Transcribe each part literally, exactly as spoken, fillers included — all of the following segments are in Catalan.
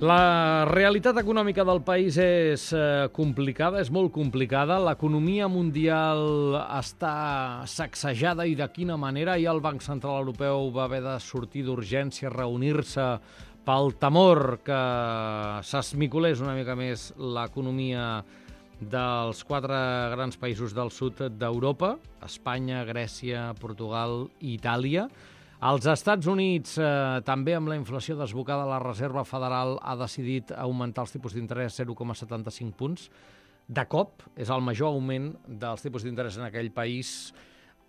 La realitat econòmica del país és eh, complicada, és molt complicada. L'economia mundial està sacsejada i de quina manera. I el Banc Central Europeu va haver de sortir d'urgència, reunir-se pel temor que s'esmicolés una mica més l'economia dels quatre grans països del sud d'Europa, Espanya, Grècia, Portugal i Itàlia. Als Estats Units, eh, també amb la inflació desbocada, la Reserva Federal ha decidit augmentar els tipus d'interès zero coma setanta-cinc punts. De cop, és el major augment dels tipus d'interès en aquell país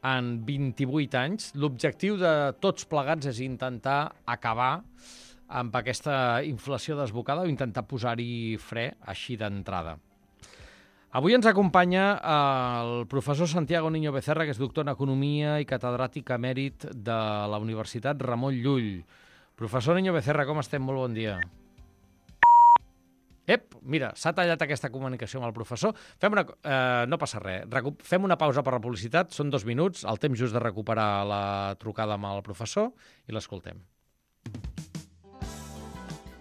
en vint-i-vuit anys. L'objectiu de tots plegats és intentar acabar amb aquesta inflació desbocada o intentar posar-hi fre així d'entrada. Avui ens acompanya el professor Santiago Niño Becerra, que és doctor en Economia i catedràtic emèrit de la Universitat Ramon Llull. Professor Niño Becerra, com estem? Molt bon dia. Ep, mira, s'ha tallat aquesta comunicació amb el professor. Fem una, eh, no passa res. Recu- fem una pausa per la publicitat, són dos minuts, el temps just de recuperar la trucada amb el professor i l'escoltem.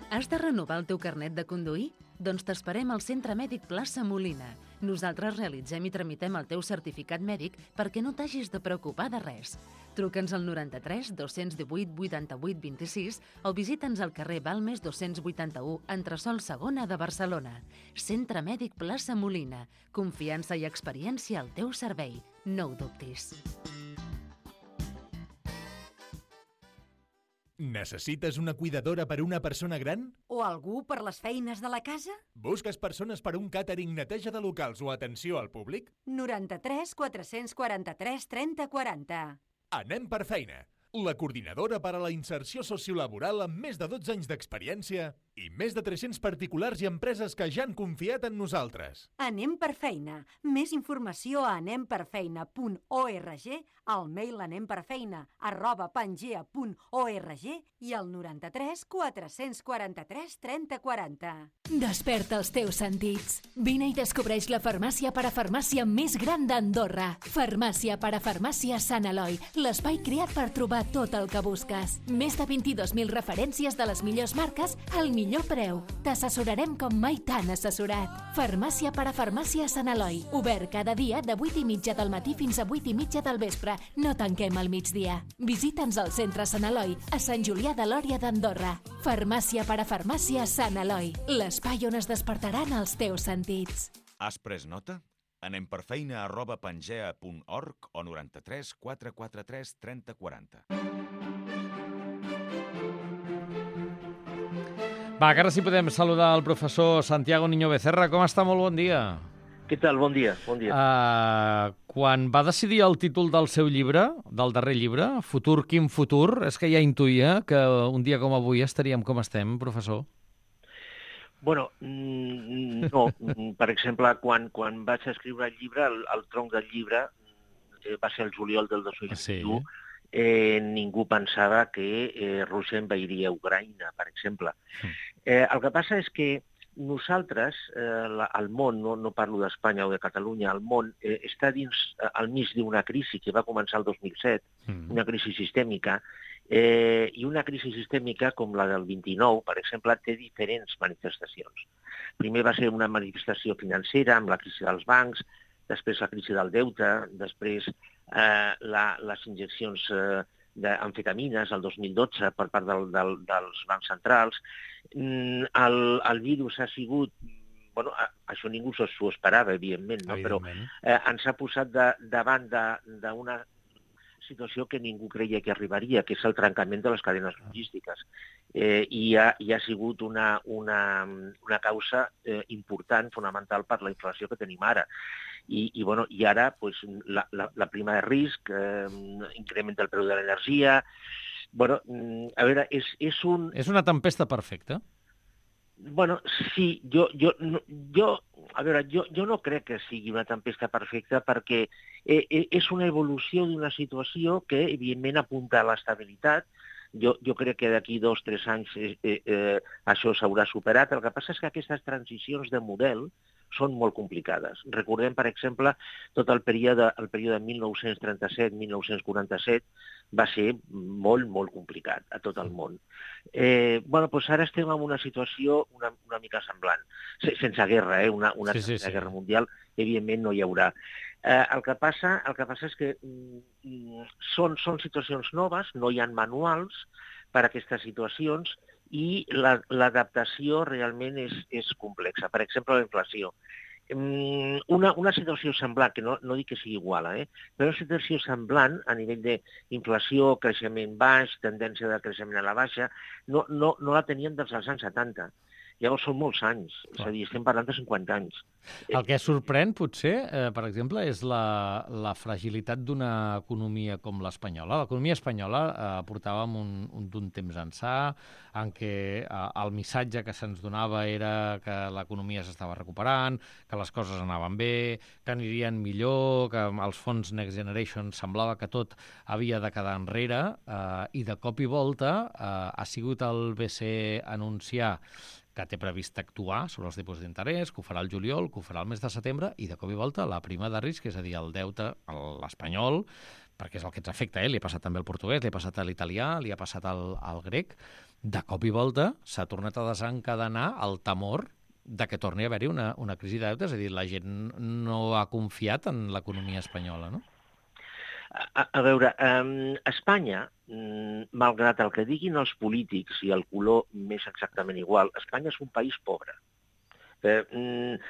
Has de renovar el teu carnet de conduir? Doncs t'esperem al Centre Mèdic Plaça Molina. Nosaltres realitzem i tramitem el teu certificat mèdic perquè no t'hagis de preocupar de res. Truca'ns al noranta-tres dos-cents divuit vuitanta-vuit vint-i-sis o visita'ns al carrer Balmes dos-cents vuitanta-u, entresòl segona de Barcelona. Centre Mèdic Plaça Molina. Confiança i experiència al teu servei. No ho dubtis. Necessites una cuidadora per a una persona gran? O algú per les feines de la casa? Busques persones per a un càtering, neteja de locals o atenció al públic? noranta-tres quatre-cents quaranta-tres trenta quaranta. Anem per feina. La coordinadora per a la inserció sociolaboral amb més de dotze anys d'experiència i més de tres-cents particulars i empreses que ja han confiat en nosaltres. Anem per feina. Més informació a anem per feina punt org, al mail anemperfeina arroba pangea punt org i al noranta-tres quatre-cents quaranta-tres trenta quaranta. Desperta els teus sentits. Vine i descobreix la farmàcia parafarmàcia més gran d'Andorra. Farmàcia parafarmàcia Sant Eloi, l'espai creat per trobar tot el que busques. Més de vint-i-dos mil referències de les millors marques al millor preu. T'assessorarem com mai t'han assessorat. Farmàcia parafarmàcia Sant Eloi. Obert cada dia de vuit i mitja del matí fins a vuit i mitja del vespre. No tanquem al migdia. Visita'ns al centre Sant Eloi, a Sant Julià de Lòria d'Andorra. Farmàcia parafarmàcia Sant Eloi. L'espai on es despertaran els teus sentits. Has pres nota? Anem per feina arroba pangea punt org o noranta-tres quatre quaranta-tres trenta quaranta. Va, que ara sí podem saludar el professor Santiago Niño Becerra. Com està? Molt bon dia. Què tal? Bon dia. Bon dia. Uh, quan va decidir el títol del seu llibre, del darrer llibre, Futur, quin futur, és que ja intuïa que un dia com avui estaríem com estem, professor? Bueno, no. Per exemple, quan, quan vaig escriure el llibre, el, el tronc del llibre, eh, va ser el juliol del dos mil vint-i-u, sí. eh, ningú pensava que eh, Rússia envairia Ucraïna, per exemple. Eh, el que passa és que nosaltres, eh, la, el món, no, no parlo d'Espanya o de Catalunya, el món eh, està dins, eh, al mig d'una crisi que va començar el dos mil set, mm. una crisi sistèmica, eh, i una crisi sistèmica com la del vint-i-nou, per exemple, té diferents manifestacions. Primer va ser una manifestació financera amb la crisi dels bancs, després la crisi del deute, després eh, la, les injeccions eh, d'amfetamines el dos mil dotze per part del, del, dels bancs centrals. El, el virus ha sigut, bueno, això ningú s'ho esperava, evidentment, no? Però eh, ens ha posat de, davant d'una situació que ningú creia que arribaria, que és el trencament de les cadenes logístiques. Eh, i, ha, I ha sigut una, una, una causa eh, important, fonamental per la inflació que tenim ara. I, i, bueno, i ara pues, la, la, la prima de risc, eh, increment del preu de l'energia. Bueno, a veure, és, és un... És una tempesta perfecta? Bueno, sí, jo, jo, jo, a veure, jo, jo no crec que sigui una tempesta perfecta perquè eh, és una evolució d'una situació que, evidentment, apunta a l'estabilitat. Jo, jo crec que d'aquí dos o tres anys eh, eh, això s'haurà superat. El que passa és que aquestes transicions de model són molt complicades. Recordem, per exemple, tot el període, el període mil nou-cents trenta-set mil nou-cents quaranta-set va ser molt, molt complicat a tot el món. Eh, bueno, doncs ara estem en una situació una, una mica semblant, sense guerra, eh? una, una sí, sí, sí. guerra mundial, evidentment no hi haurà. Eh, el, que passa, el que passa és que mm, són, són situacions noves, no hi ha manuals per a aquestes situacions, i l'adaptació realment és, és complexa. Per exemple, la inflació. Una, una situació semblant, que no, no dic que sigui igual, eh? però una situació semblant a nivell d'inflació, creixement baix, tendència de creixement a la baixa, no, no, no la teníem dels anys setanta. Llavors són molts anys, és a dir, estem parlant de cinquanta anys. El que sorprèn, potser, eh, per exemple, és la, la fragilitat d'una economia com l'espanyola. L'economia espanyola eh, portàvem un, un, un temps ençà en què eh, el missatge que se'ns donava era que l'economia s'estava recuperant, que les coses anaven bé, que anirien millor, que els fons Next Generation semblava que tot havia de quedar enrere, eh, i de cop i volta eh, ha sigut el B C E anunciar que té previst actuar sobre els tipus d'interès, que ho farà el juliol, que ho farà el mes de setembre, i de cop i volta la prima de risc, és a dir, el deute, l'espanyol, perquè és el que ens afecta, eh? Li ha passat també al portuguès, li ha passat a l'italià, li ha passat al, al grec, de cop i volta s'ha tornat a desencadenar el temor de que torni a haver-hi una, una crisi de deute, és a dir, la gent no ha confiat en l'economia espanyola, no? A, a veure, um, Espanya, um, malgrat el que diguin els polítics i el color més exactament igual, Espanya és un país pobre. Eh, um,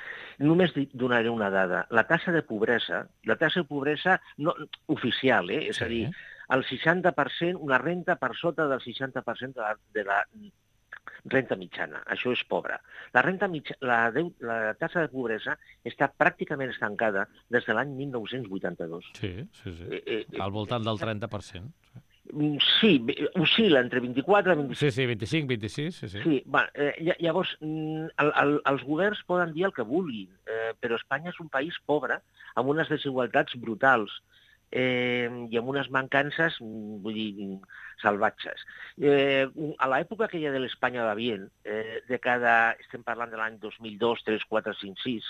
només donaré una dada. La taxa de pobresa, la taxa de pobresa no, oficial, eh? és sí. a dir, el seixanta per cent, una renta per sota del seixanta per cent de la, de la renta mitjana. Això és pobre. La, renta mitja, la, de, la taxa de pobresa està pràcticament estancada des de l'any mil nou-cents vuitanta-dos. Sí, sí, sí. Eh, eh, Al voltant del trenta per cent. Sí, oscil·la entre vint-i-quatre i vint-i-cinc. Sí, sí, vint-i-cinc, vint-i-sis, sí, sí. Sí, va, eh, llavors, el, el, els governs poden dir el que vulguin, eh, però Espanya és un país pobre, amb unes desigualtats brutals, eh, i amb unes mancances, vull dir, salvatges. Eh, a l'època aquella de l'Espanya va bien, eh, de cada, estem parlant de l'any dos mil dos, tres, quatre, cinc, sis,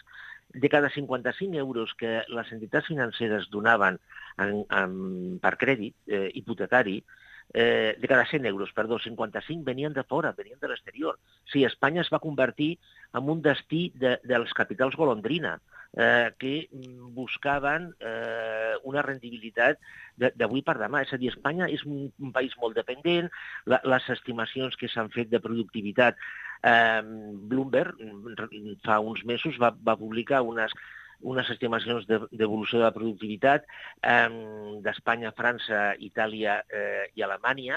de cada cinquanta-cinc euros que les entitats financeres donaven en, en, per crèdit eh, hipotecari, eh, de cada cent euros, perdó, cinquanta-cinc venien de fora, venien de l'exterior. Sí, Espanya es va convertir en un destí de, dels capitals golondrina, eh, que buscaven eh, una rendibilitat d'avui per demà. És a dir, Espanya és un, un país molt dependent, la, les estimacions que s'han fet de productivitat, eh, Bloomberg fa uns mesos va, va publicar unes unes estimacions d'evolució de la productivitat eh, d'Espanya, França, Itàlia eh, i Alemanya.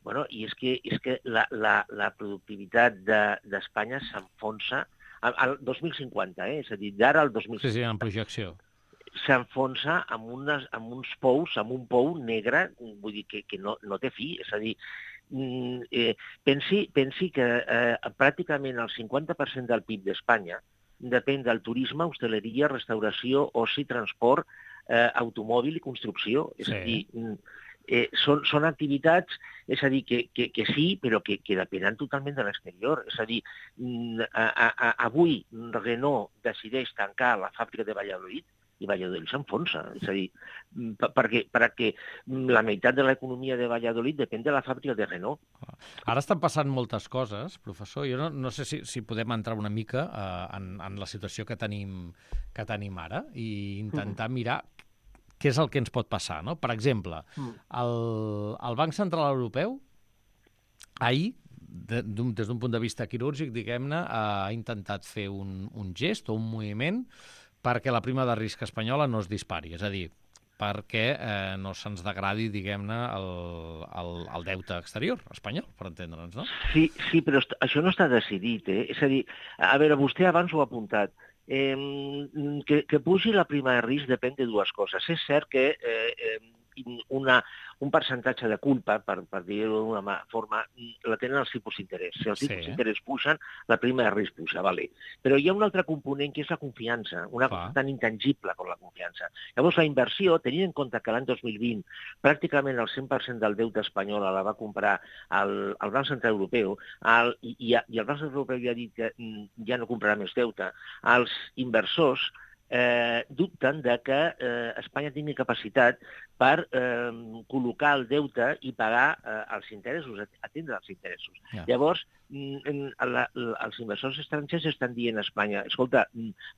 Bueno, i és que, és que la, la, la productivitat d'Espanya de, s'enfonsa al, al dos mil cinquanta, eh? És a dir, d'ara al dos mil cinquanta. Sí, sí, en projecció. S'enfonsa amb, unes, amb uns pous, amb un pou negre, vull dir, que, que no, no té fi. És a dir, eh, pensi, pensi que eh, pràcticament el cinquanta per cent del P I B d'Espanya depèn del turisme, hostaleria, restauració, oci, transport, eh, automòbil i construcció. És sí. a dir, eh, són, són activitats, és a dir, que, que, que sí, però que, que depenen totalment de l'exterior. És a dir, a, a, avui Renault decideix tancar la fàbrica de Valladolid i Valladolid s'enfonsa. És a dir, perquè, perquè la meitat de l'economia de Valladolid depèn de la fàbrica de Renault. Ara estan passant moltes coses, professor. Jo no, no sé si, si podem entrar una mica uh, en, en la situació que tenim, que tenim ara i intentar mm. mirar què és el que ens pot passar, no? Per exemple, mm. el, el Banc Central Europeu ahir, de, des d'un punt de vista quirúrgic, diguem-ne, ha intentat fer un, un gest o un moviment perquè la prima de risc espanyola no es dispari, és a dir, perquè eh, no se'ns degradi, diguem-ne, el, el, el deute exterior espanyol, per entendre'ns, no? Sí, sí, però això no està decidit, eh? És a dir, a veure, vostè abans ho ha apuntat, eh, que, que pugi la prima de risc depèn de dues coses. És cert que eh, eh, una, un percentatge de culpa, per, per dir-ho d'una forma, la tenen els tipus d'interès. Si els tipus Sí. d'interès pugen, la prima de risc puja, vale. Però hi ha un altre component que és la confiança, una cosa tan intangible com la confiança. Llavors, la inversió, tenint en compte que l'any dos mil vint pràcticament el cent per cent del deute espanyol la va comprar el, el Banc Central Europeu, el, i, i, i el Banc Central Europeu ja ha dit que ja no comprarà més deute, els inversors eh, dubten de que eh, Espanya tingui capacitat per eh, col·locar el deute i pagar eh, els interessos, atendre els interessos. Ja. Llavors, mm, la, la, els inversors estrangers estan dient a Espanya, escolta,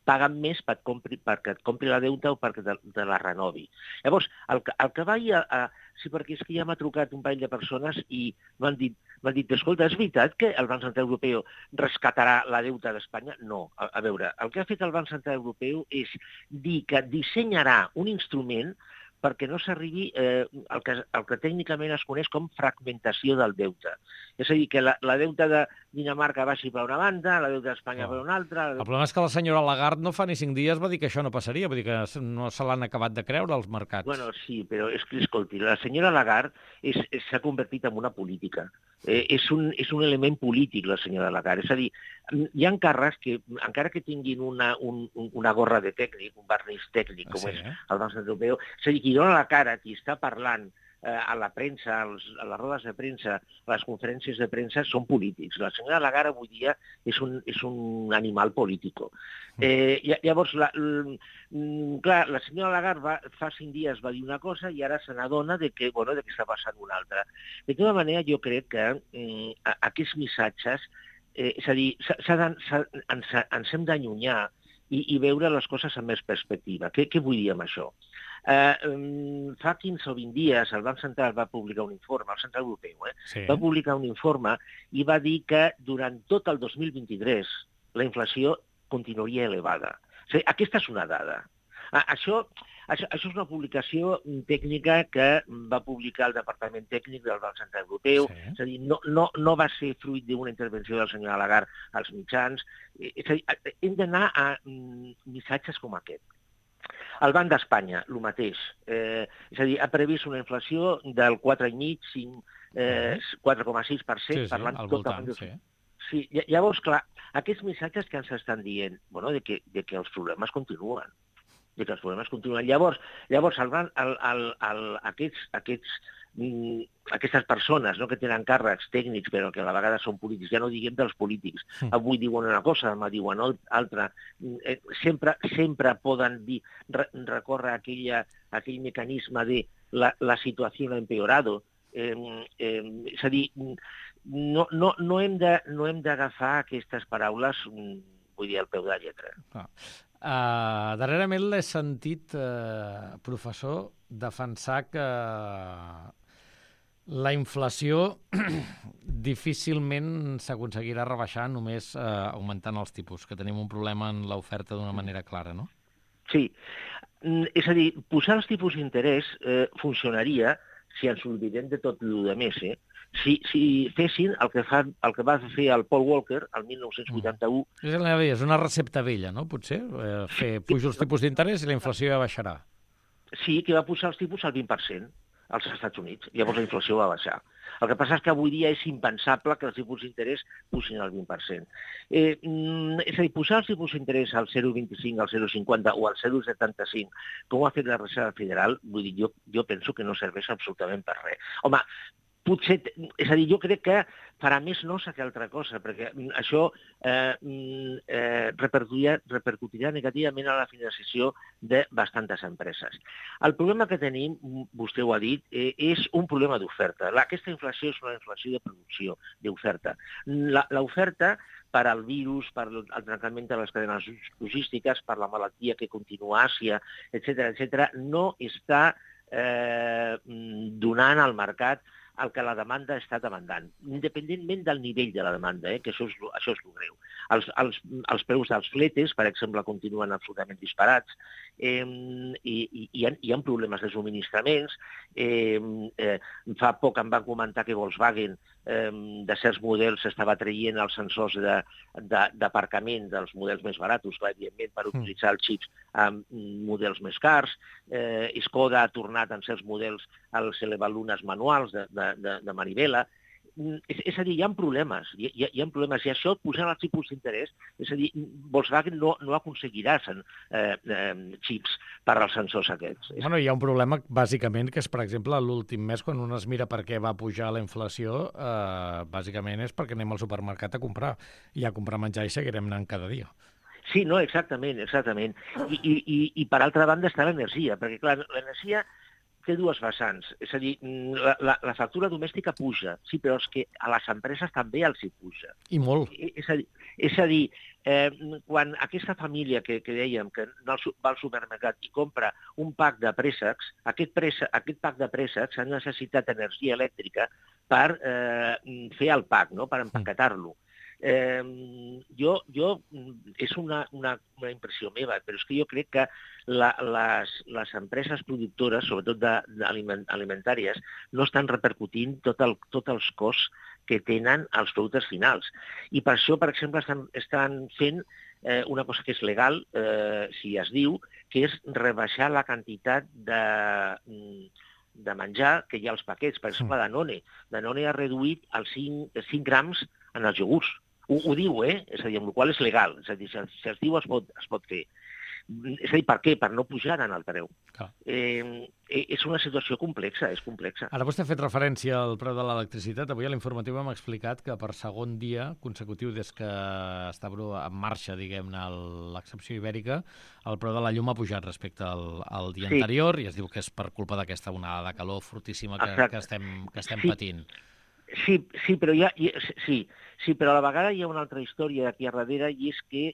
paga'm més per compri, perquè et compri la deute o perquè te, te la renovi. Llavors, el, el que vaig a, a... Sí, perquè és que ja m'ha trucat un parell de persones i m'han dit, m'han dit, escolta, és veritat que el Banc Central Europeu rescatarà la deuta d'Espanya? No. A, a veure, el que ha fet el Banc Central Europeu és dir que dissenyarà un instrument perquè no s'arribi eh, el, que, el que tècnicament es coneix com fragmentació del deute. És a dir, que la, la deuta de Dinamarca baixi per una banda, la deuta d'Espanya oh. per una altra... El problema és que la senyora Lagarde no fa ni cinc dies va dir que això no passaria, vull dir que no se l'han acabat de creure els mercats. Bueno, sí, però és que, escolti, la senyora Lagarde s'ha convertit en una política. Eh, és, un, és un element polític, la senyora Lagarde. És a dir, hi ha càrrecs que, encara que tinguin una, un, una gorra de tècnic, un barniz tècnic, com sí, és eh? el Banc Central Europeu, és a dir, qui dona la cara, qui està parlant eh, a la premsa, als, a les rodes de premsa, a les conferències de premsa, són polítics. La senyora Lagarde avui dia és un, és un animal polític. Eh, llavors, la, l, clar, la senyora Lagarde va, fa cinc dies va dir una cosa i ara se n'adona de que, bueno, de que està passant una altra. De tota manera, jo crec que eh, aquests missatges, eh, és a dir, s ha, s ha, s ha, ens, ens hem d'allunyar i, i veure les coses amb més perspectiva. Què, què vull dir amb això? Uh, fa quinze o vint dies el Banc Central va publicar un informe, el Central Europeu, eh? sí. va publicar un informe i va dir que durant tot el dos mil vint-i-tres la inflació continuaria elevada. O sigui, aquesta és una dada. Uh, això, això, això és una publicació tècnica que va publicar el Departament Tècnic del Banc Central Europeu, sí. és a dir, no, no, no va ser fruit d'una intervenció del senyor Lagarde als mitjans. És a dir, hem d'anar a mm, missatges com aquest. El Banc d'Espanya, el mateix. Eh, és a dir, ha previst una inflació del quatre coma cinc, eh, quatre coma sis per cent, sí, sí, parlant tot voltant, de... sí. Sí, llavors, clar, aquests missatges que ens estan dient, bueno, de que, de que els problemes continuen, de que els problemes continuen. Llavors, llavors el, el, el, el, aquests, aquests, mm, aquestes persones, no, que tenen càrrecs tècnics però que a la vegada són polítics, ja no diguem dels polítics, mm. avui diuen una cosa, demà diuen altra, eh, sempre, sempre poden dir, re, recórrer a aquella, a aquell mecanisme de la, la situació ha empeorado. Eh, eh, és a dir, no, no, no hem de, no hem d'agafar aquestes paraules, vull dir, al peu de la lletra. Ah. Uh, darrerament l'he sentit, uh, professor, defensar que la inflació difícilment s'aconseguirà rebaixar només eh, augmentant els tipus, que tenim un problema en l'oferta d'una manera clara, no? Sí. És a dir, posar els tipus d'interès eh, funcionaria si ens oblidem de tot el més, eh? Si, si fessin el que, fa, el que va fer el Paul Walker el mil nou-cents vuitanta-u... Mm. És una recepta vella, no? Potser? Eh, fer pujar els tipus d'interès i la inflació ja baixarà. Sí, que va pujar els tipus al vint per cent als Estats Units. Llavors la inflació va baixar. El que passa és que avui dia és impensable que els tipus d'interès pusin al vint per cent. Eh, és a dir, posar els tipus d'interès al zero coma vint-i-cinc, al zero coma cinquanta o al zero coma setanta-cinc, com ho ha fet la Reserva Federal, vull dir, jo, jo penso que no serveix absolutament per res. Home, potser, és a dir, jo crec que farà més nosa que altra cosa, perquè això eh, eh, repercutirà, repercutirà negativament a la finançació de bastantes empreses. El problema que tenim, vostè ho ha dit, eh, és un problema d'oferta. Aquesta inflació és una inflació de producció, d'oferta. L'oferta, per al virus, per al trencament de les cadenes logístiques, per la malaltia que continua a Àsia, etcètera, etcètera, no està eh, donant al mercat el que la demanda està demandant, independentment del nivell de la demanda, eh, que això és, això és el greu. Els, els, els preus dels fletes, per exemple, continuen absolutament disparats eh, i, i hi, ha, hi ha problemes de subministraments. Eh, eh, fa poc em van comentar que Volkswagen eh, de certs models s'estava traient els sensors d'aparcament de, de, dels models més baratos, clar, evidentment, per utilitzar els xips amb models més cars. Eh, Skoda ha tornat en certs models als elevalunes manuals de, de, de, de manivela. És, és a dir, hi ha problemes, hi, hi, hi ha problemes, i això posant els tipus d'interès, és a dir, Volkswagen no, no aconseguirà sen, eh, eh, xips per als sensors aquests. Bueno, hi ha un problema, bàsicament, que és, per exemple, l'últim mes, quan un es mira per què va pujar la inflació, eh, bàsicament és perquè anem al supermercat a comprar, i a comprar menjar i seguirem anant cada dia. Sí, no, exactament, exactament. I, i, i, i per altra banda està l'energia, perquè, clar, l'energia té dues vessants. És a dir, la, la, la factura domèstica puja, sí, però és que a les empreses també els hi puja. I molt. És a dir, és a dir eh, quan aquesta família que, que dèiem que no va al supermercat i compra un pack de préssecs, aquest, préssec, aquest pack de préssecs ha necessitat energia elèctrica per eh, fer el pack, no? Per empaquetar-lo. Eh, jo, jo, és una, una, una impressió meva, però és que jo crec que la, les, les empreses productores, sobretot de, de aliment, alimentàries, no estan repercutint tot, el, tot els costs que tenen els productes finals. I per això, per exemple, estan, estan fent eh, una cosa que és legal, eh, si es diu, que és rebaixar la quantitat de... de menjar que hi ha als paquets. Per exemple, Danone. Danone ha reduït els cinc grams en els iogurts. Ho, ho diu, eh? És a dir, amb la qual és legal. És a dir, si, si es diu es pot, es pot fer. És a dir, per què? Per no pujar en el preu. Eh, és una situació complexa, és complexa. Ara vostè ha fet referència al preu de l'electricitat. Avui a l'informatiu hem explicat que per segon dia consecutiu des que està en marxa, diguem-ne, l'excepció ibèrica, el preu de la llum ha pujat respecte al, al dia sí. anterior, i es diu que és per culpa d'aquesta onada de calor fortíssima que, que estem, que estem sí. patint. Sí, sí, però hi ha, hi, sí, sí, però a la vegada hi ha una altra història aquí a darrere, i és que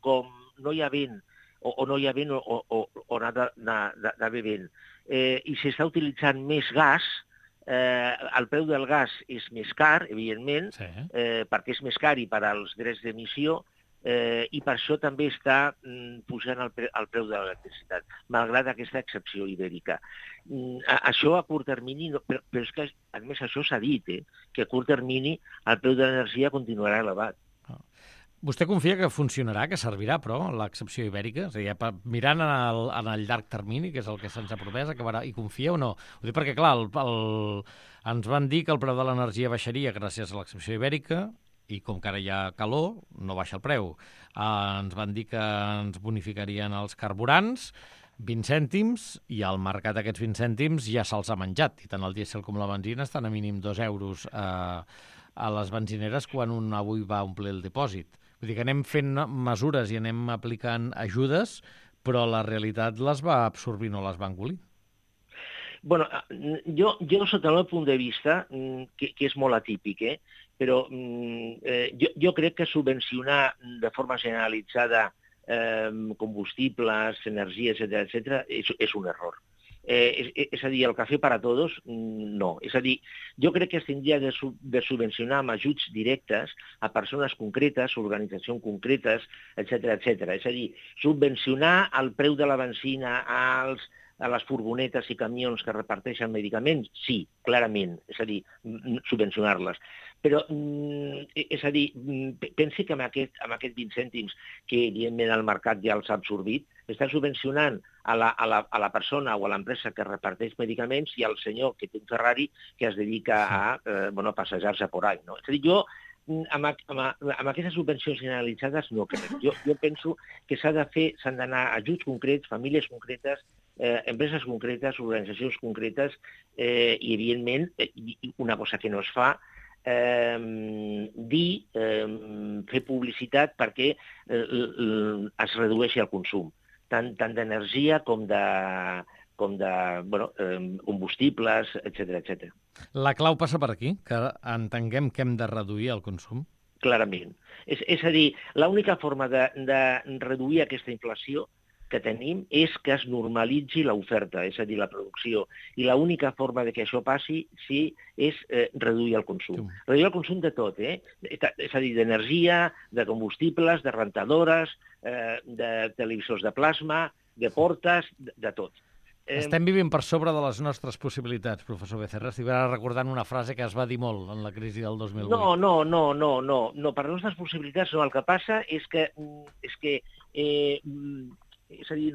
com no hi ha vent, o, o no hi ha vent o, o, o n'ha d'haver vent, eh, i s'està utilitzant més gas, eh, el preu del gas és més car, evidentment, sí. eh, perquè és més car i per als drets d'emissió, eh, i per això també està mm, pujant el, pre el preu de l'electricitat, malgrat aquesta excepció ibèrica. Mm, a, això a curt termini, no, però, però és que, a més, això s'ha dit, eh, que a curt termini el preu de l'energia continuarà elevat. Vostè confia que funcionarà, que servirà, però, l'excepció ibèrica? És a dir, mirant en el, en el llarg termini, que és el que se'ns ha promès, acabarà, i confia o no? Ho dic perquè, clar, el, el, ens van dir que el preu de l'energia baixaria gràcies a l'excepció ibèrica, i com que ara hi ha calor, no baixa el preu. Eh, ens van dir que ens bonificarien els carburants, vint cèntims, i al mercat aquests vint cèntims ja se'ls ha menjat, i tant el dièsel com la benzina estan a mínim dos euros eh, a les benzineres quan un avui va omplir el dipòsit. Vull dir que anem fent mesures i anem aplicant ajudes, però la realitat les va absorbir, no les va engolir. Bueno, jo, jo sota el meu punt de vista, que, que és molt atípic, eh? però eh, jo, jo crec que subvencionar de forma generalitzada eh, combustibles, energies, etcètera, etcètera, és, és un error. Eh, és, és a dir, el cafè per a tots, no. És a dir, jo crec que es tindria de, sub, de subvencionar amb ajuts directes a persones concretes, organitzacions concretes, etcètera, etcètera. És a dir, subvencionar el preu de la benzina als a les furgonetes i camions que reparteixen medicaments, sí, clarament, és a dir, subvencionar-les. Però, és a dir, pensi que amb aquest, amb aquest vint cèntims, que evidentment el mercat ja els ha absorbit, està subvencionant a la, a la, a la persona o a l'empresa que reparteix medicaments i al senyor que té un Ferrari que es dedica a, eh, bueno, a passejar-se por ahí, no? És a dir, jo, amb, amb, amb aquestes subvencions generalitzades no crec. Jo, jo penso que s'ha de fer, s'han d'anar ajuts concrets, famílies concretes, eh, empreses concretes, organitzacions concretes, eh, i evidentment, eh, una cosa que no es fa, eh, dir, eh, fer publicitat perquè eh, es redueixi el consum, tant, tant d'energia com de... com de bueno, eh, combustibles, etcètera, etcètera. La clau passa per aquí, que entenguem que hem de reduir el consum? Clarament. És, és a dir, l'única forma de, de reduir aquesta inflació que tenim és que es normalitzi l'oferta, és a dir, la producció. I l'única forma de que això passi sí, és eh, reduir el consum. Sí. Reduir el consum de tot, eh? És a dir, d'energia, de combustibles, de rentadores, eh, de televisors de plasma, de portes, de, de tot. Estem vivint per sobre de les nostres possibilitats, professor Becerra. Estic ara recordant una frase que es va dir molt en la crisi del dos mil vuit. No, no, no, no, no, no. Per les nostres possibilitats no. El que passa és que, és que eh, és a dir,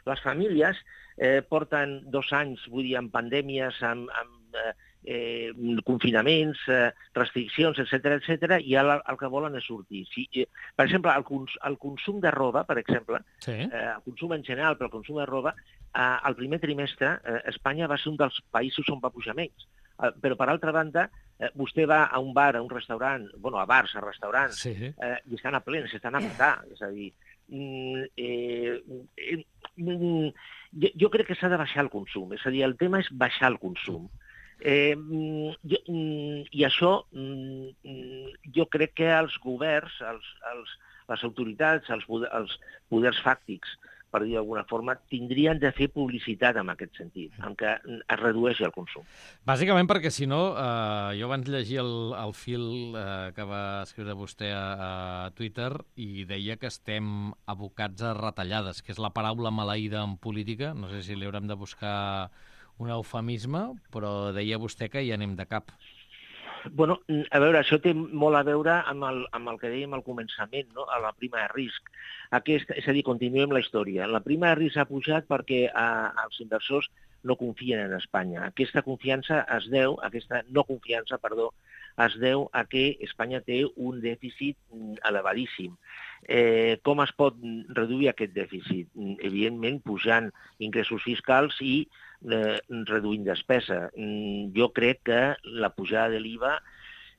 les famílies eh, porten dos anys, vull dir, amb pandèmies, amb, amb eh, confinaments, eh, restriccions, etcètera, etcètera, i ara el que volen és sortir. Si, eh, per exemple, el, cons el consum de roba, per exemple, sí. eh, el consum en general, però el consum de roba, eh, el primer trimestre eh, Espanya va ser un dels països on va pujar menys. Eh, però, per altra banda, eh, vostè va a un bar, a un restaurant, bueno, a bars, a restaurants, sí. eh, i estan a plens, estan a matar. És a dir, mm, eh, eh, mm, jo, jo crec que s'ha de baixar el consum. És a dir, el tema és baixar el consum. Eh, jo, I això jo crec que els governs, els, els, les autoritats, els, poder, els poders fàctics, per dir d'alguna forma, tindrien de fer publicitat en aquest sentit, en què es redueixi el consum. Bàsicament perquè, si no, eh, jo abans llegia el, el fil eh, que va escriure vostè a, a Twitter i deia que estem abocats a retallades, que és la paraula maleïda en política. No sé si li haurem de buscar un eufemisme, però deia vostè que hi anem de cap. Bueno, a veure, això té molt a veure amb el, amb el que dèiem al començament, no? A la prima de risc. Aquest, és a dir, continuem la història. La prima de risc ha pujat perquè a, els inversors no confien en Espanya. Aquesta confiança es deu, aquesta no confiança, perdó, es deu a que Espanya té un dèficit elevadíssim. Eh, com es pot reduir aquest dèficit? Evidentment, pujant ingressos fiscals i eh, reduint despesa. Jo crec que la pujada de l'I V A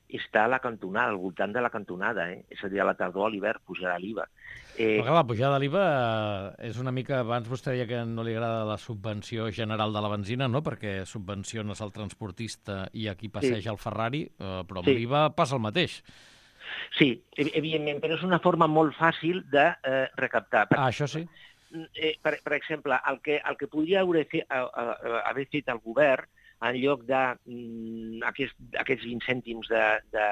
està a la cantonada, al voltant de la cantonada, eh? És a dir, a la tardor, a l'hivern, pujarà l'I V A. Eh... Però la pujada de l'I V A és una mica... Abans vostè deia que no li agrada la subvenció general de la benzina, no? Perquè subvenciones el transportista i aquí passeja sí. el Ferrari, eh, però amb sí. l'I V A passa el mateix. Sí, evidentment, però és una forma molt fàcil de eh, recaptar. Ah, això sí. Eh, per, per exemple, el que, el que podria haver fet, haver fet el govern en lloc d'aquests aquest, aquests vint cèntims de, de,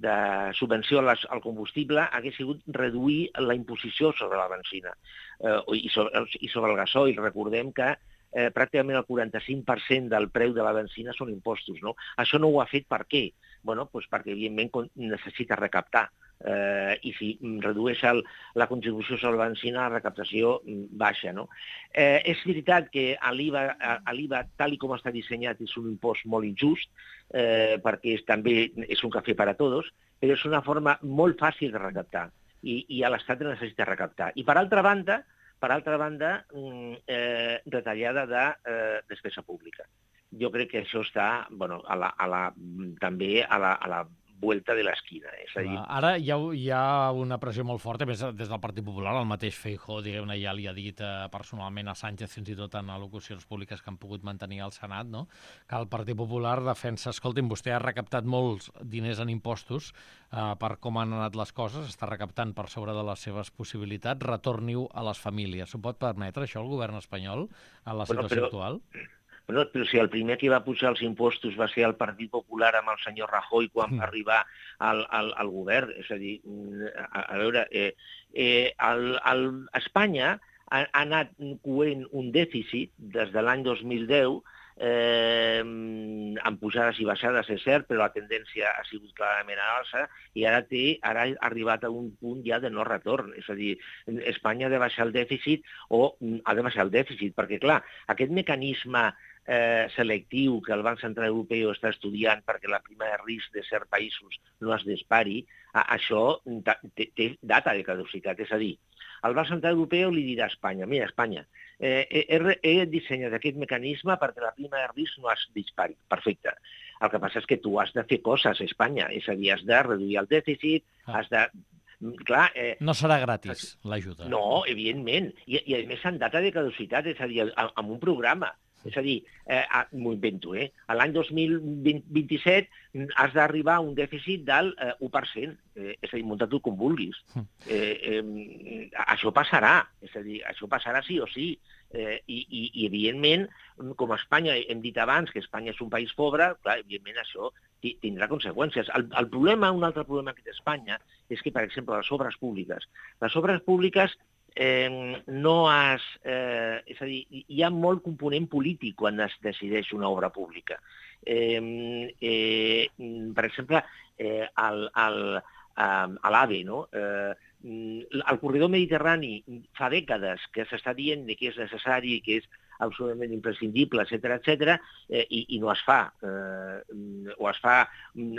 de subvenció al combustible, hagués sigut reduir la imposició sobre la benzina eh, i, sobre, i sobre el gasoil. Recordem que eh, pràcticament el quaranta-cinc per cent del preu de la benzina són impostos. No? Això no ho ha fet per què? Bueno, doncs perquè, evidentment, necessita recaptar. Eh, i si redueix el, la contribució sobre la benzina, la recaptació baixa. No? Eh, és veritat que l'I V A, tal com està dissenyat, és un impost molt injust, eh, perquè és, també és un cafè per a tots, però és una forma molt fàcil de recaptar, i, i a l'Estat necessita recaptar. I per altra banda, per altra banda eh, retallada de eh, despesa pública. Jo crec que això està bueno, a la, a la, també a la, a la vuelta de l'esquina. És a dir... Ara hi ha, hi ha una pressió molt forta, més des del Partit Popular. El mateix Feijóo, diguem-ne, ja li ha dit eh, personalment a Sánchez, fins i tot en al·locucions públiques que han pogut mantenir al Senat, no? Que el Partit Popular defensa, escolti'm, vostè ha recaptat molts diners en impostos eh, per com han anat les coses, està recaptant per sobre de les seves possibilitats, retorni-ho a les famílies. S'ho pot permetre, això, el govern espanyol, en la situació bueno, però... actual? Però, però si el primer que va pujar els impostos va ser el Partit Popular amb el senyor Rajoy quan va arribar al, al, al govern, és a dir, a, a veure, eh, eh, el, el, Espanya ha, ha anat coent un dèficit des de l'any dos mil deu, eh, amb pujades i baixades, és cert, però la tendència ha sigut clarament a l'alça i ara, té, ara ha arribat a un punt ja de no retorn. És a dir, Espanya ha de baixar el dèficit o ha de baixar el dèficit, perquè, clar, aquest mecanisme Eh, selectiu que el Banc Central Europeu està estudiant perquè la prima de risc de certs països no es dispari, a, això té, té data de caducitat. És a dir, el Banc Central Europeu li dirà a Espanya, mira, Espanya, eh, he, he dissenyat aquest mecanisme perquè la prima de risc no es dispari. Perfecte. El que passa és que tu has de fer coses a Espanya, és a dir, has de reduir el dèficit, ah. has de... Clar, eh, no serà gratis, l'ajuda. No, evidentment. I, i a més, en data de caducitat, és a dir, amb un programa. És a dir, eh, m'ho invento, eh? L'any dos mil vint-i-set has d'arribar a un dèficit del eh, u per cent. Eh, és a dir, munta-t'ho com vulguis. Eh, eh, això passarà, és a dir, això passarà sí o sí. Eh, i, i, I, evidentment, com a Espanya, hem dit abans que Espanya és un país pobre, clar, evidentment això tindrà conseqüències. El, el problema, un altre problema que té Espanya, és que, per exemple, les obres públiques. Les obres públiques eh, no has... Eh, és a dir, hi ha molt component polític quan es decideix una obra pública. Eh, eh, per exemple, eh, el, el, a l'AVE, no? Eh, el corredor mediterrani fa dècades que s'està dient que és necessari, que és absolutament imprescindible, etcètera, etcètera, eh, i, i no es fa. Eh, o es fa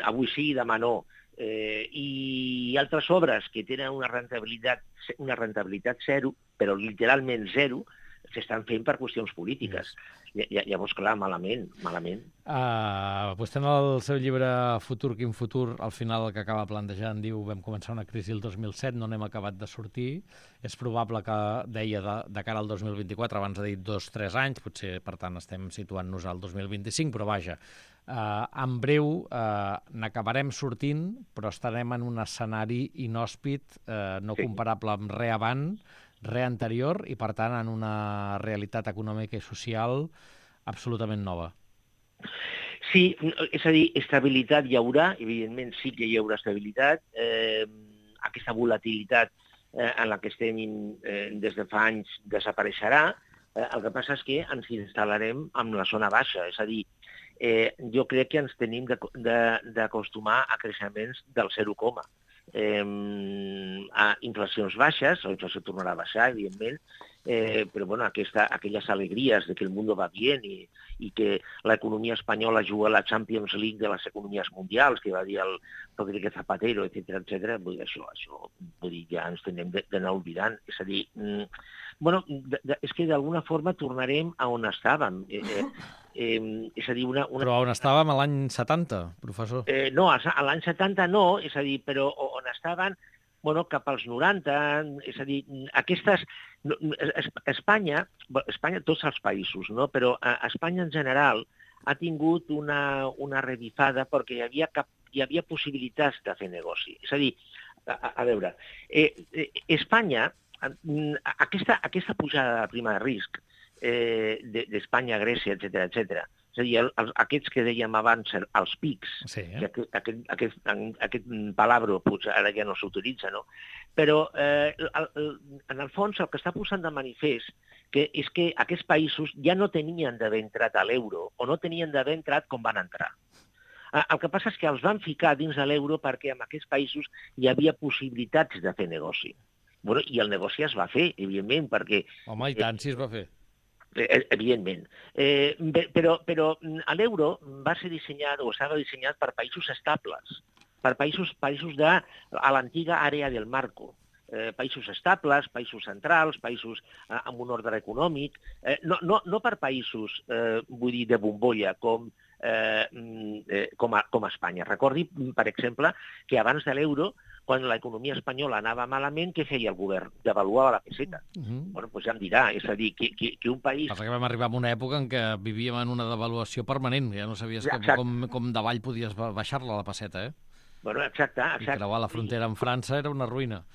avui sí, demà no. Eh, I altres obres que tenen una rentabilitat, una rentabilitat zero, però literalment zero, s'estan fent per qüestions polítiques. Yes. Llavors, clar, malament, malament. Uh, vostè en el seu llibre Futur, quin futur, al final el que acaba plantejant diu vam començar una crisi el dos mil set, no n'hem acabat de sortir. És probable que, deia, de, de cara al dos mil vint-i-quatre, abans ha dit dos o tres anys, potser, per tant, estem situant-nos al dos mil vint-i-cinc, però vaja, uh, en breu uh, n'acabarem sortint, però estarem en un escenari inhòspit, uh, no sí. comparable amb res abans, res anterior, i per tant en una realitat econòmica i social absolutament nova. Sí, és a dir, estabilitat hi haurà, evidentment sí que hi haurà estabilitat, eh, aquesta volatilitat eh, en la que estem eh, des de fa anys desapareixerà, eh, el que passa és que ens instal·larem en la zona baixa, és a dir, eh, jo crec que ens tenim d'acostumar a creixements del zero coma. Eh, a inflacions baixes, la inflació tornarà a baixar, evidentment, eh, però bueno, aquesta, aquelles alegries de que el món va bé i, i que l'economia espanyola juga a la Champions League de les economies mundials, que va dir el Rodríguez Zapatero, etcètera, etcètera, vull dir, això, això vull dir, ja ens tenem d'anar oblidant. És a dir, mm, bueno, de, de, és que d'alguna forma tornarem a on estàvem. Eh, eh, eh, és a dir, una, una... Però on estàvem a l'any setanta, professor? Eh, no, a l'any setanta no, és a dir, però on estaven, bueno, cap als noranta, és a dir, aquestes... Espanya, Espanya, tots els països, no? Però Espanya en general ha tingut una, una revifada perquè hi havia, cap, hi havia possibilitats de fer negoci. És a dir, a, a veure, eh, eh, Espanya, aquesta, aquesta pujada de prima de risc eh, d'Espanya, Grècia, etcètera, etcètera, és a dir, el, els, aquests que dèiem abans, els pics, sí, eh? que aquest, aquest, aquest, aquest palabro potser ara ja no s'utilitza, no? Però eh, el, el, en el fons el que està posant de manifest que és que aquests països ja no tenien d'haver entrat a l'euro o no tenien d'haver entrat com van entrar. El que passa és que els van ficar dins de l'euro perquè en aquests països hi havia possibilitats de fer negoci. Bueno, i el negoci es va fer, evidentment, perquè... Home, i tant, si es va fer. Evidentment. Eh, però però l'euro va ser dissenyat o estava dissenyat per països estables, per països, països de a l'antiga àrea del marco. Eh, països estables, països centrals, països eh, amb un ordre econòmic, eh, no, no, no per països, eh, vull dir, de bombolla, com, eh, eh, com, a, com a Espanya. Recordi, per exemple, que abans de l'euro, quan l'economia espanyola anava malament, què feia el govern? Devaluava la peseta. Uh -huh. Bueno, doncs ja em dirà, és a dir, que, que, que un país... Passa que vam arribar a una època en què vivíem en una devaluació permanent, ja no sabies com, com, com davall podies baixar-la, la peseta, eh? Bueno, exacte, exacte. I creuar la frontera amb França era una ruïna.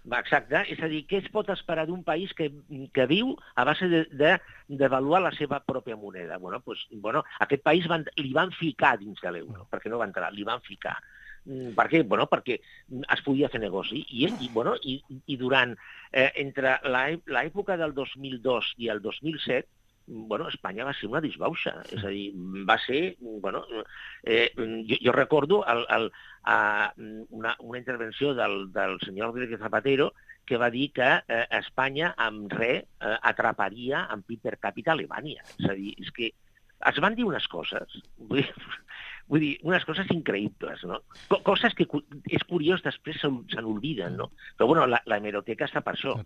Exacte, és a dir, què es pot esperar d'un país que, que viu a base de, de devaluar la seva pròpia moneda? Bueno, pues, bueno, aquest país van, li van ficar dins de l'euro, perquè no va entrar, li van ficar. Per què? Bueno, perquè es podia fer negoci. I, i, bueno, i, i durant, eh, entre l'època del dos mil dos i el dos mil set, bueno, Espanya va ser una disbauxa. És a dir, va ser... Bueno, eh, jo, jo recordo el, el, a una, una intervenció del, del senyor Rodríguez Zapatero que va dir que eh, Espanya amb res eh, atraparia en P I B per càpita Alemanya. És a dir, és que es van dir unes coses, vull dir, vull dir unes coses increïbles, no? Coses que és curiós, després se n'olviden, no? Però, bueno, la, la hemeroteca està per això.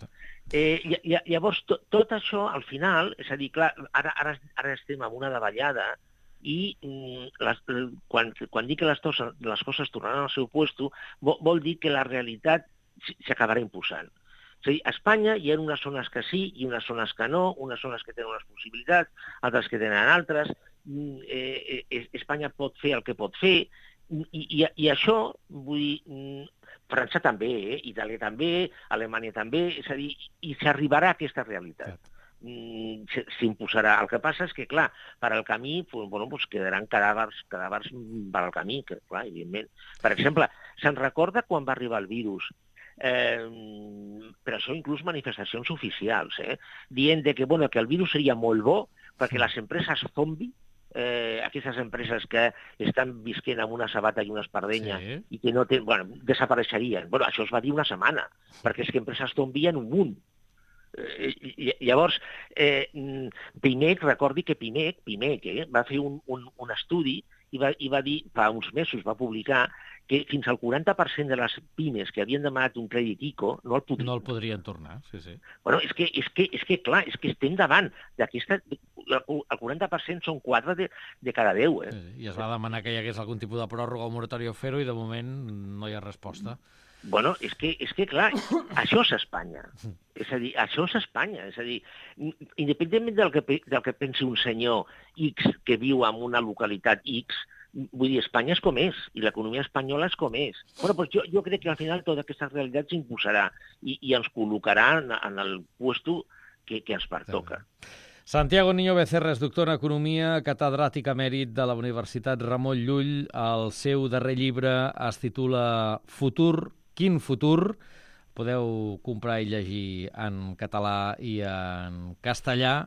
Eh, llavors, to, tot això, al final, és a dir, clar, ara, ara, ara estem en una davallada i les, quan, quan dic que les, tos, les coses tornaran al seu lloc, vol, vol dir que la realitat s'acabarà imposant. És a dir, a Espanya hi ha unes zones que sí i unes zones que no, unes zones que tenen unes possibilitats, altres que tenen altres. Eh, eh, Espanya pot fer el que pot fer, i, i, i això, vull dir, França també, eh? Itàlia també, Alemanya també, és a dir, i s'arribarà a aquesta realitat. S'imposarà. El que passa és que, clar, per al camí, bueno, doncs quedaran cadàvers, cadàvers per al camí, que, clar, evidentment. Per exemple, se'n recorda quan va arribar el virus, eh, per això inclús manifestacions oficials, eh, dient de que, bueno, que el virus seria molt bo perquè les empreses zombi, eh, aquestes empreses que estan visquent amb una sabata i una espardenya sí. i que no tenen, bueno, desapareixerien. Bueno, això es va dir una setmana, perquè és que empreses zombi hi ha un munt. Eh, llavors, eh, Pimec, recordi que Pimec, Pimec eh, va fer un, un, un estudi i va, i va dir, fa uns mesos va publicar que fins al quaranta per cent de les pimes que havien demanat un crèdit ICO no el podrien, no el podrien tornar. Sí, sí. Bueno, és que, és, que, és que, clar, és que estem davant d'aquesta... El quaranta per cent són quatre de, de cada deu. Eh? Sí, I es va demanar que hi hagués algun tipus de pròrroga o moratori o fer-ho i de moment no hi ha resposta. Bueno, és que, és que clar, això és Espanya. És a dir, això és Espanya. És a dir, independentment del que, del que pensi un senyor X que viu en una localitat X, vull dir, Espanya és com és, i l'economia espanyola és com és. Bueno, doncs jo, jo crec que al final tota aquesta realitat s'imposarà i, i ens col·locarà en, en el puesto que, que ens pertoca. Santiago Niño Becerra és doctor en Economia, catedràtic emèrit de la Universitat Ramon Llull. El seu darrer llibre es titula Futur, quin futur? Podeu comprar i llegir en català i en castellà.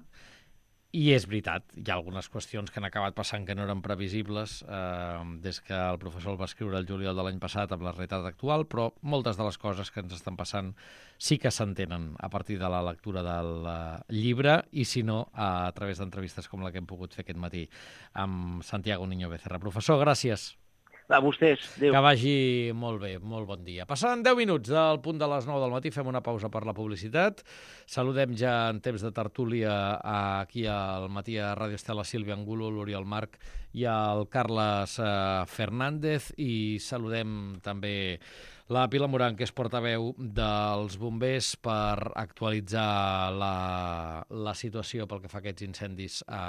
I és veritat, hi ha algunes qüestions que han acabat passant que no eren previsibles eh, des que el professor el va escriure el juliol de l'any passat amb la realitat actual, però moltes de les coses que ens estan passant sí que s'entenen a partir de la lectura del uh, llibre i, si no, a través d'entrevistes com la que hem pogut fer aquest matí amb Santiago Niño Becerra. Professor, gràcies. A vostès. Adéu. Que vagi molt bé, molt bon dia. Passant deu minuts del punt de les nou del matí, fem una pausa per la publicitat. Saludem ja en temps de tertúlia aquí al matí a Ràdio Estela Sílvia Angulo, l'Oriol Marc i el Carles eh, Fernández, i saludem també la Pilar Moran, que és portaveu dels bombers, per actualitzar la, la situació pel que fa a aquests incendis a